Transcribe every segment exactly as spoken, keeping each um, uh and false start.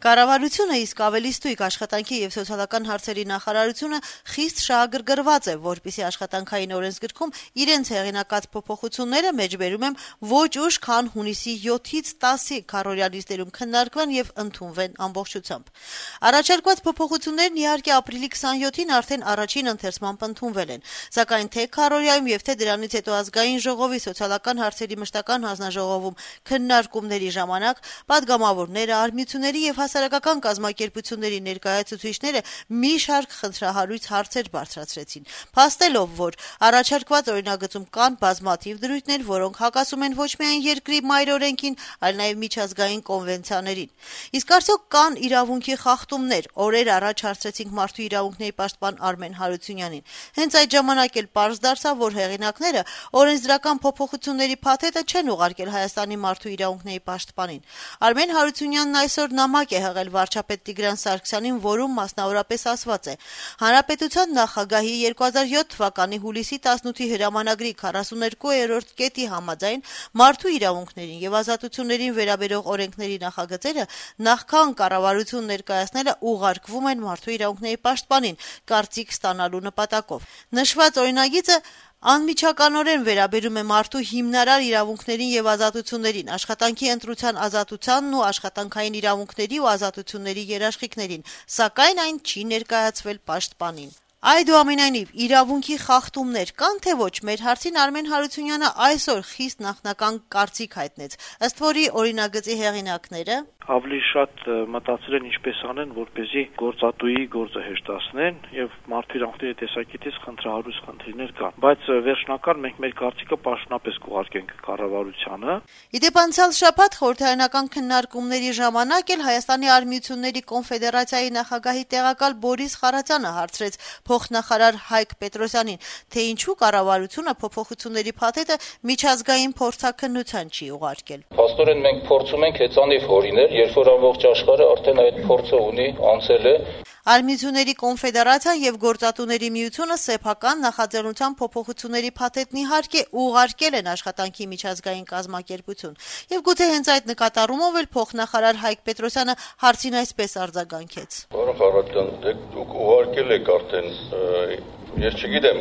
Կառավարությունը, իսկ ավելի ստույգ աշխատանքի եւ սոցիալական հարցերի նախարարությունը խիստ շահագրգռված է, որպեսզի աշխատանքային օրենսգրքում իրենց հեղինակած փոփոխությունները մեջբերում են ոչ ուշ, քան հունիսի յոթից տասի քառօրյա նիստերում քննարկվեն եւ ընդունվեն ամբողջությամբ։ Առաջարկված փոփոխություններն իհարկե ապրիլի քսանյոթին արդեն առաջին ընթերցմամբ ընդունվել են, սակայն թե քառօրյայում եւ թե դրանից հետո ազգային ժողովի սոցիալական հարցերի մշտական հանձնաժողովում քննարկումների ժամանակ պատգամավորները, արմիությունների եւ հասարակական կազմակերպությունների ներկայացուցիչները մի շարք խնդրահարույց հարցեր բարձրացրեցին, փաստելով, որ առաջարկված օրինագծում կան բազմաթիվ դրույթներ, որոնք հակասում են ոչ միայն երկրի մայրօրենքին, այլ նաեւ միջազգային կոնվենցիաներին։ Իսկ արդյոք կան իրավունքի խախտումներ, օրեր առաջ հարցրեցինք մարդու իրավունքների պաշտպան Արմեն Հարությունյանին։ Հենց այդ ժամանակ էլ պարզ դարձավ, որ հեղինակները օրենսդրական փոփոխությունների փաթեթը չեն ուղարկել Հայաստանի մարդու իրավունքների պաշտպանին։ Արմեն Հարությունյանն այսօր նամակ է հղել վարչապետ Տիգրան Սարգսյանին, որում մասնավորապես ասված է. Հանրապետության նախագահի երկու հազար յոթ թվականի հուլիսի տասնութի հրամանագրի քառասուներկուերորդ կետի համաձայն մարդու իրավունքներին եւ ազատություններին վերաբերող օրենքների նախագծերը նախքան կառավարություն ներկայացնելը ուղարկվում են մարդու իրավունքների պաշտպանին կարծիք ստանալու նպատակով։ Նշված օրինագիծը անմիջականորեն վերաբերում է մարդու հիմնարար իրավունքներին եւ ազատություններին, աշխատանքի ընտրության ազատությանն ու աշխատանքային իրավունքների ու ազատությունների երաշխիքներին, սակայն այն չի ներկայացվել պաշտպանին։ Այդուամենայնիվ, իրավունքի խախտումներ կան թե ոչ, մեր հարցին Արմեն Հարությունյանը այսօր խիստ նախնական կարծիք հայտնեց, ըստ որի օրինագծի հեղինակները ավելի շատ մտածել են ինչպես անեն, որպեսզի գործատուի գործը հեշտացնեն եւ մարդու իրավունքների տեսակետից խնդրահարույց խնդիրներ կան, բայց վերջնական մենք մեր կարծիքը պաշտոնապես կուղարկենք կառավարությանը։ Իդեպ անցյալ շաբաթ խորհրդարանական քննարկումների ժամանակ էլ Հայաստանի արմիությունների կոնֆեդերացիայի նախագահի տեղակալ Բորիս Խարատյանը հարցրեց փոխնախարար Հայկ Պետրոսյանին, թե ինչու կառավարությունը փոփոխությունների փաթեթը միջազգային փորձաքննության չի ուղարկել։ Փաստորեն մենք փորձում ենք հեծանիվ հորինել, երբ որ ամբողջ աշխարհը արդեն այդ փորձը ունի, անցել է։ Արմիությունների կոնֆեդերացիան եւ գործատուների միությունը սեփական նախաձեռնության փոփոխությունների փաթեթն իհարկե ուղարկել են աշխատանքի միջազգային կազմակերպություն։ Եվ գուցե հենց այդ նկատառումով էլ փոխնախարար Հայկ Պետրոսյանը հարցին այսպես արձագանքեց. Պարոն Խարատյան, դուք ուղարկել եք արդեն, ես չգիտեմ,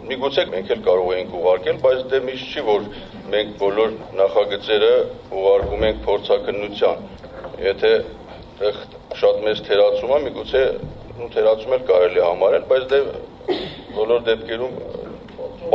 միգուցե մենք էլ կարող ենք ուղարկել, բայց դե միշտ չի, որ մենք բոլոր նախագծերը ուղարկում ենք փորձաքննության։ Եթե շատ մեծ թերացում է, միգուցե թերացում էլ կարելի է համարել, բայց դե բոլոր դեպքերում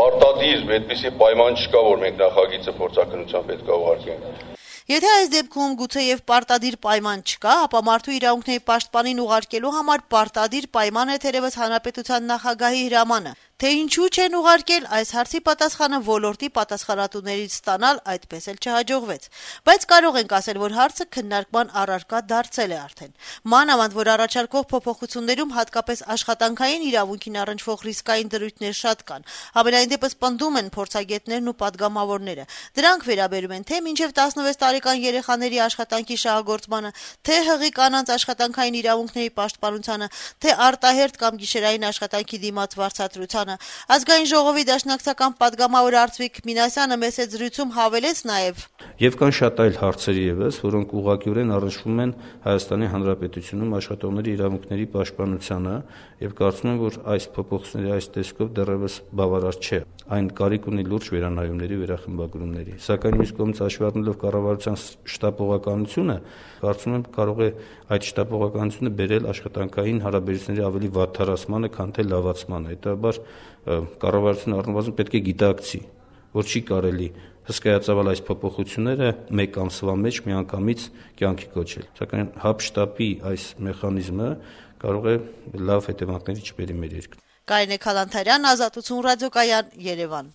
պարտադիր այդպիսի պայման չկա, որ մենք նախագիծը փորձաքննության պետք է ուղարկենք։ Եթե այս դեպքում գուցեև պարտադիր պայման չկա, ապա մարդու իրավունքների պաշտպանին ուղարկելու համար պարտադիր պայման է թերևս հանրապետության նախագահի հրամանը։ Թե ինչու չեն ուղարկել, այս հարցի պատասխանը ոլորտի պատասխանատուներից ստանալ այդպես էլ չհաջողվեց։ Բայց կարող ենք ասել, որ հարցը քննարկման առարկա դարձել է արդեն։ Մանավանդ, որ առաջարկվող փոփոխություններում հատկապես աշխատանքային իրավունքին առնչվող ռիսկային դրույթներ շատ կան։ Համենայն դեպս պնդում են փորձագետներն ու պատգամավորները։ Դրանք վերաբերում են թե մինչև տասնվեց տարեկան երեխաների աշխատանքի շահագործմանը, թե հղի կանանց աշխատանքային իրավունքների պաշտպանությանը, թե արտահերթ կամ գիշերային աշխատանքի դիմաց վարձատրությանը։ Ազգային ժողովի դաշնակցական պատգամավոր Արծվիկ Մինասյանը մեծ զրույցում հավելեց նաև. Եվ կան շատ այլ հարցեր եւս, որոնք ուղղակիորեն առնչվում են Հայաստանի Հանրապետությունում աշխատողների իրավունքների պաշտպանությանը, եւ կարծում եմ, որ այս փոփոխությունների այս տեսքով դեռևս բավարար չէ։ Այն կարիք ունի լուրջ վերանայումների, վերախմբագրումների։ Սակայն մյուս կողմից հաշվի առնելով կառավարության շտապողականությունը, կարծում եմ կարող է այդ շտապողականությունը բերել աշխատանքային հարաբերությունների ավելի վատթարացմանը, քան թե լավացմանը։ Հետաբար կառավարությունը առնվազն պետք է գիտակցի, որ չի կարելի հսկայածավալ այս փոփոխությունները մեկ ամսվա մեջ միանգամից կյանքի կոչել։ Սակայն հապշտապի այս մեխանիզմը կարող է լավ հետևանքների չբերի մեր երկրում։ Կարինե Քալանթարյան, Ազատություն ռադիոկայան, Երևան։